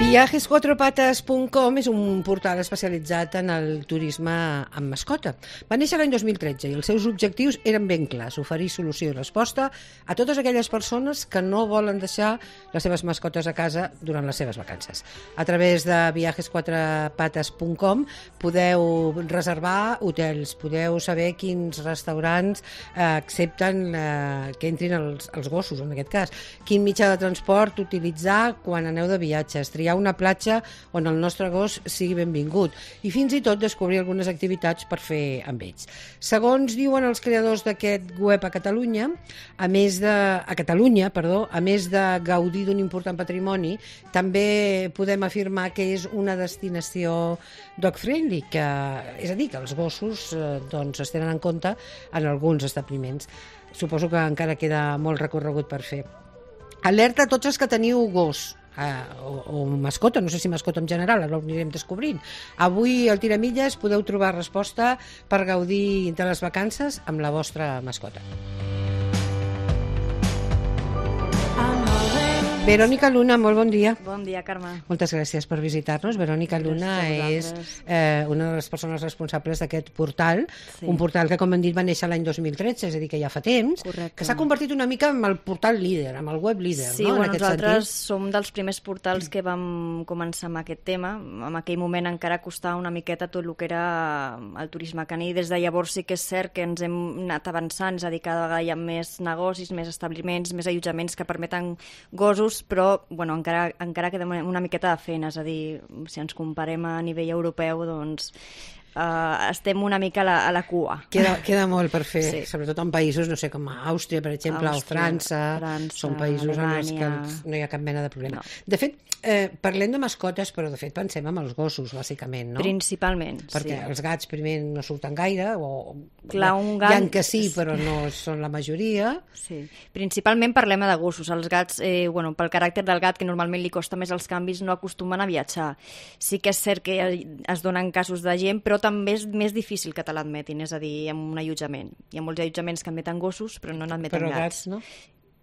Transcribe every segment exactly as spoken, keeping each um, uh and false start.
viajes cuatro patas punt com és un portal especialitzat en el turisme amb mascota. Va néixer l'any dos mil tretze i els seus objectius eren ben clars: oferir solució i resposta a totes aquelles persones que no volen deixar les seves mascotes a casa durant les seves vacances. A través de viajes cuatro patas punt com podeu reservar hotels, podeu saber quins restaurants eh, accepten eh, que entrin els, els gossos, en aquest cas, quin mitjà de transport utilitzar quan aneu de viatges, triar una platja on el nostre gos sigui benvingut i fins i tot descobrir algunes activitats per fer amb ells. Segons diuen els creadors d'aquest web a Catalunya, a més de a Catalunya, perdó, a més de gaudir d'un important patrimoni, també podem afirmar que és una destinació dog-friendly, que, és a dir, que els gossos eh, doncs, es tenen en compte en alguns establiments. Suposo que encara queda molt recorregut per fer. Alerta a tots els que teniu gos, Uh, o, o mascota, no sé si mascota en general, ara ho anirem descobrint. Avui al Tiramilles podeu trobar resposta per gaudir de les vacances amb la vostra mascota. Verònica Luna, molt bon dia. Bon dia, Carme. Moltes gràcies per visitar-nos. Verònica Luna és eh, una de les persones responsables d'aquest portal, sí. Un portal que, com hem dit, va néixer l'any dos mil tretze, és a dir, que ja fa temps, correcte, que s'ha convertit una mica en el portal líder, en el web líder, sí, no? Bueno, en aquest nosaltres sentit. som dels primers portals que vam començar amb aquest tema. En aquell moment encara costava una miqueta tot el que era el turisme caní. Des de llavors sí que és cert que ens hem anat avançant, és a dir, cada vegada hi ha més negocis, més establiments, més allotjaments que permeten gossos, però bueno, encara, encara queda una miqueta de feina, és a dir, si ens comparem a nivell europeu, doncs Uh, estem una mica a la, a la cua. Queda, queda molt per fer, sí. Sobretot en països, no sé, com Àustria, per exemple, Àustria, o França, França, són països Alemanya, en els que no hi ha cap mena de problema. No. De fet, eh, parlem de mascotes, però de fet pensem en els gossos, bàsicament, no? Principalment, perquè sí. Els gats primer no surten gaire, o clar, un gat... hi ha que sí, però no són la majoria. Sí. Principalment parlem de gossos. Els gats, eh, bueno, pel caràcter del gat, que normalment li costa més els canvis, no acostumen a viatjar. Sí que és cert que es donen casos de gent, però també és més difícil que te l'admetin, és a dir, en un allotjament. Hi ha molts allotjaments que admeten gossos, però no n'admeten però gats. gats, no?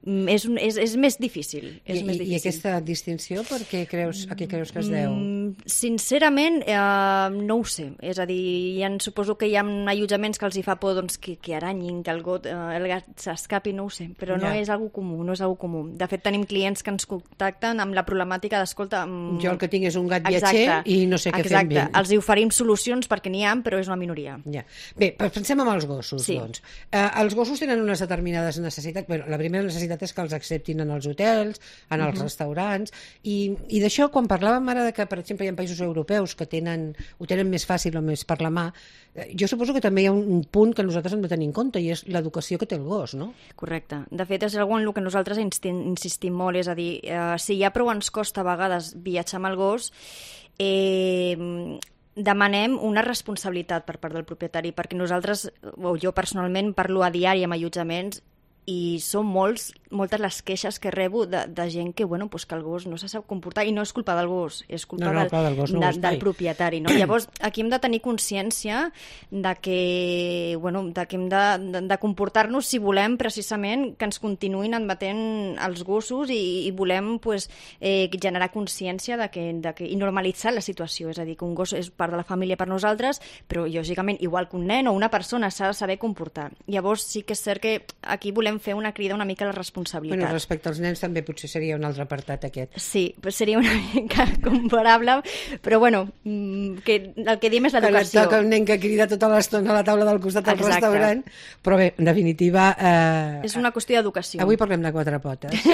És, un, és, és més difícil. És I, més difícil. I aquesta distinció, per què creus, a què creus que es deu? Mm, sincerament, eh, no ho sé. És a dir, ja suposo que hi ha allotjaments que els hi fa por doncs, que, que aranyin, que el, got, eh, el gat s'escapi, no ho sé, però ja. no és algo comú, no és algo comú. De fet, tenim clients que ens contacten amb la problemàtica d'escolta... Amb... Jo el que tinc és un gat viatger i no sé què Exacte. fer amb ell. Els hi oferim solucions perquè n'hi ha, però és una minoria. Ja. Bé, pensem en els gossos, sí. doncs. Eh, els gossos tenen unes determinades necessitats. Bueno, la primera necessitat és que els acceptin en els hotels, en els uh-huh. restaurants, i, i d'això, quan parlàvem ara de que, per exemple, hi ha països europeus que tenen, ho tenen més fàcil o més per la mà, jo suposo que també hi ha un, un punt que nosaltres hem de tenir en compte, i és l'educació que té el gos, no? Correcte. De fet, és algo en el que nosaltres insistim molt, és a dir, eh, si ja prou ens costa a vegades viatjar amb el gos, eh, demanem una responsabilitat per part del propietari, perquè nosaltres, o jo personalment, parlo a diari amb allotjaments, i són molts, moltes les queixes que rebo de, de gent que, bueno, pues que el gos no se sap comportar, i no és culpa del gos, és culpa no, no, del, del, gos no de, del propietari, no? Llavors, aquí hem de tenir consciència de que, bueno, de que hem de, de, de comportar-nos si volem precisament que ens continuïn admetent els gossos i, i volem pues, eh, generar consciència de que, de que, i normalitzar la situació, és a dir, que un gos és part de la família per nosaltres, però lògicament, igual que un nen o una persona, s'ha de saber comportar. Llavors, sí que és cert que aquí volem fer una crida una mica a la responsabilitat. Bueno, respecte als nens també potser seria un altre apartat aquest. Sí, pues seria una mica comparable, però bueno, que el que diem és l'educació. Que et toca un nen que crida tota l'estona a la taula del costat del Exacte. Restaurant, però bé, en definitiva... Eh, és una qüestió d'educació. Avui parlem de quatre potes.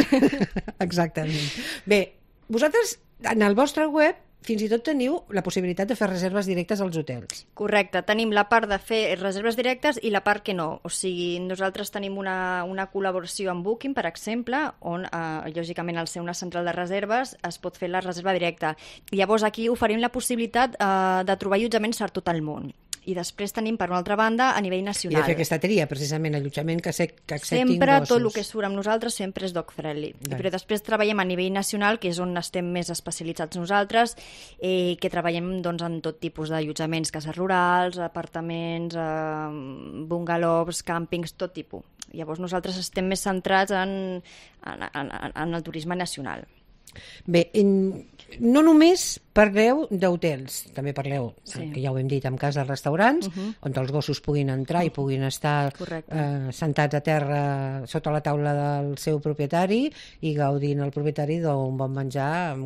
Exactament. Bé, vosaltres, en el vostre web, fins i tot teniu la possibilitat de fer reserves directes als hotels. Correcte, tenim la part de fer reserves directes i la part que no. O sigui, nosaltres tenim una, una col·laboració amb Booking, per exemple, on, eh, lògicament, al ser una central de reserves, es pot fer la reserva directa. Llavors, aquí oferim la possibilitat eh, de trobar allotjaments per tot el món. I després tenim, per una altra banda, a nivell nacional. I de fer aquesta tria, precisament, allotjament que, se, que acceptin sempre, gossos. Sempre, tot el que surt amb nosaltres sempre és dog-friendly. Però després treballem a nivell nacional, que és on estem més especialitzats nosaltres, eh, que treballem doncs, en tot tipus d'allotjaments, cases rurals, apartaments, eh, bungalows, càmpings, tot tipus. Llavors nosaltres estem més centrats en, en, en, en el turisme nacional. Bé, en, no només parleu d'hotels, també parleu, Sí. que ja ho hem dit, en cas de restaurants, Mhm. on els gossos puguin entrar i puguin estar Correcte. eh, sentats a terra sota la taula del seu propietari i gaudint el propietari d'un bon menjar.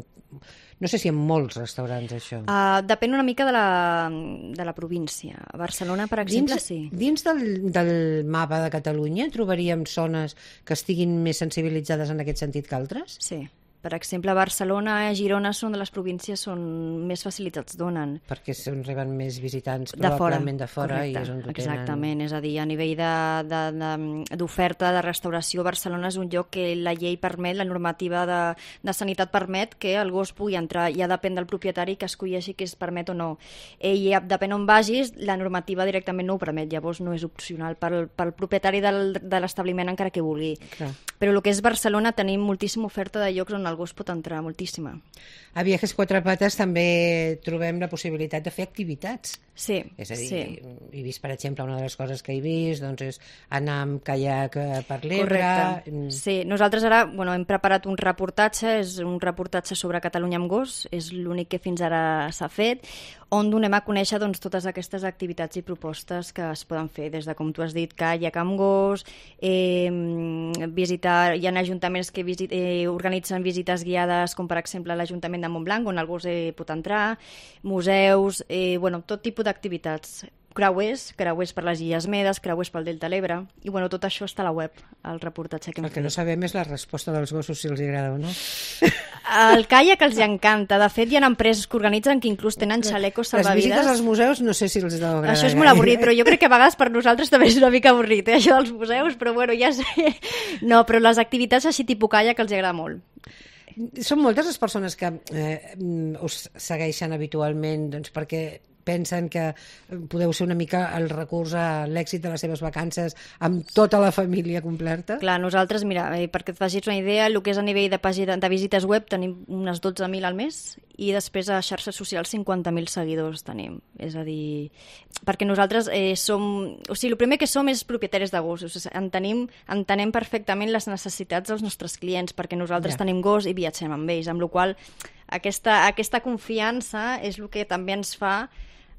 No sé si en molts restaurants, això. Uh, depèn una mica de la, de la província. A Barcelona, per exemple, Dins, sí. dins del, del mapa de Catalunya trobaríem zones que estiguin més sensibilitzades en aquest sentit que altres? Sí. Per exemple, Barcelona i Girona són de les províncies on més facilitats donen. Perquè són reben més visitants De fora, probablement de fora correcte, i és on ho tenen. exactament, és a dir, a nivell de- de- de- d'oferta de, de restauració, Barcelona és un lloc que la llei permet, la normativa de, de sanitat permet que el gos pugui entrar, ja depèn del propietari que escolleixi que es permet o no. Eh, I depèn on vagis, la normativa directament no ho permet, llavors no és opcional pel, pel propietari del, de l'establiment encara que vulgui. Clar. Però el que és Barcelona tenim moltíssima oferta de llocs on el gos pot entrar, moltíssima. A Viajes Quatre Pates també trobem la possibilitat de fer activitats. Sí, És a dir, sí. he vist, per exemple, una de les coses que he vist doncs és anar amb caiac eh, per l'Ebre. Correcte. Mm, Sí, nosaltres ara bueno, hem preparat un reportatge, és un reportatge sobre Catalunya amb gos, és l'únic que fins ara s'ha fet, on donem a conèixer doncs, totes aquestes activitats i propostes que es poden fer, des de, com tu has dit, caiac amb gos, eh, visitar, hi ha ajuntaments que visit, eh, organitzen visites guiades, com per exemple l'Ajuntament de Montblanc, on el gos eh, pot entrar, museus, eh, bueno, tot tipus d'activitats. Creuers, creuers per les Illes Medes, creuers pel Delta de l'Ebre, i bueno, tot això està a la web, el reportatge que hem El que fet. no sabem és la resposta dels gossos, si els agrada o no. El caiac els encanta. De fet, hi ha empreses que organitzen que inclús tenen xalecos Les visites salvavides. als museus no sé si els deu agradar. Això és molt gaire. avorrit, però jo crec que a vegades per nosaltres també és una mica avorrit, eh, això dels museus, però bueno, ja sé. No, però les activitats així tipus caiac els agrada molt. Són moltes les persones que eh, us segueixen habitualment doncs, perquè pensen que podeu ser una mica el recurs a l'èxit de les seves vacances amb tota la família completa? Clar, nosaltres, mira, eh, perquè et facis una idea, el que és a nivell de pàgina de visites web tenim unes dotze mil al mes i després a xarxes socials cinquanta mil seguidors tenim. És a dir, perquè nosaltres eh, som... O sigui, el primer que som és propietaris de gossos. Entenem, entenem perfectament les necessitats dels nostres clients perquè nosaltres Ja. tenim gos i viatgem amb ells, amb la qual cosa aquesta, aquesta confiança és el que també ens fa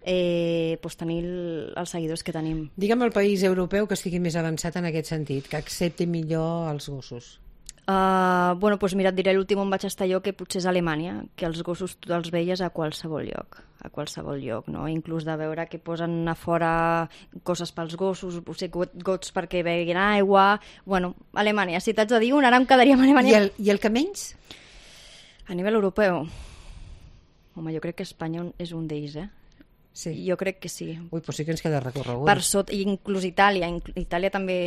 eh, pues, tenir el, els seguidors que tenim. Digue'm el país europeu que estigui més avançat en aquest sentit, que accepti millor els gossos. Uh, bueno, doncs mira, et diré l'últim on vaig estar jo, que potser és Alemanya, que els gossos tu els veies a qualsevol lloc, a qualsevol lloc, no? Inclús de veure que posen a fora coses pels gossos, o sigui, gots perquè beguin aigua... Bueno, Alemanya, si t'haig de dir un, ara em quedaria amb I Alemanya. el, I el que menys? A nivell europeu, home, jo crec que Espanya és un d'ells, eh? Sí. Jo crec que sí. Ui, doncs sí que ens queda recorregut. Per sota, i inclús Itàlia. Itàlia també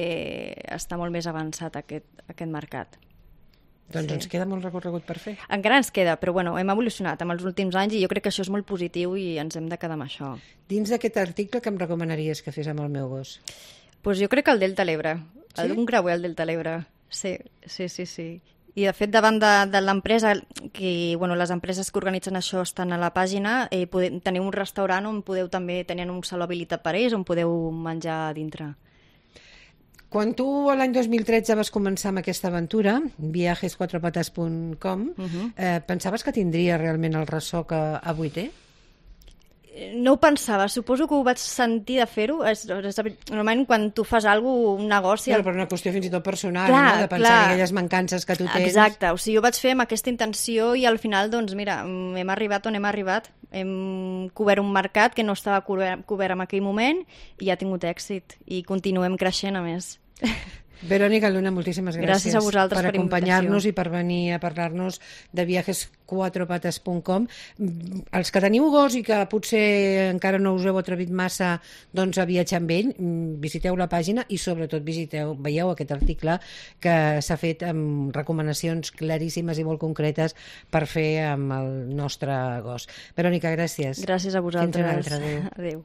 està molt més avançat aquest, aquest mercat. Doncs Sí. ens queda molt recorregut per fer. Encara ens queda, però bueno, hem evolucionat amb els últims anys i jo crec que això és molt positiu i ens hem de quedar amb això. Dins d'aquest article, que em recomanaries que fes amb el meu gos? Pues jo crec que el Delta de l'Ebre, Sí? un creuer al Delta de l'Ebre. Sí, sí, sí, sí. I de fet, davant de, de l'empresa, que bueno, les empreses que organitzen això estan a la pàgina, eh, podem, teniu un restaurant on podeu també tenir un saló habilitat per ells, on podeu menjar a dintre. Quan tu l'any dos mil tretze vas començar amb aquesta aventura, viajes quatre patas punt com, Uh-huh. eh, pensaves que tindria realment el ressò que avui té? No ho pensava, suposo que ho vaig sentir de fer-ho. És, és, normalment quan tu fas alguna cosa, un negoci... Però per una qüestió fins i tot personal, Clar, no? De pensar clar. en aquelles mancances que tu tens. Exacte, o sigui, jo vaig fer amb aquesta intenció i al final, doncs mira, mm, hem arribat on hem arribat. Hem cobert un mercat que no estava cobert, cobert en aquell moment i ha tingut èxit i continuem creixent a més. Verònica Luna, moltíssimes gràcies, Gràcies a vosaltres per per acompanyar-nos invitació. i per venir a parlar-nos de viajes quatre patas punt com. Els que teniu gos i que potser encara no us heu atrevit massa doncs, a viatjar amb ell, visiteu la pàgina i sobretot visiteu, veieu aquest article que s'ha fet amb recomanacions claríssimes i molt concretes per fer amb el nostre gos. Verònica, gràcies. Gràcies a vosaltres. Fins una altra, adéu. Adéu.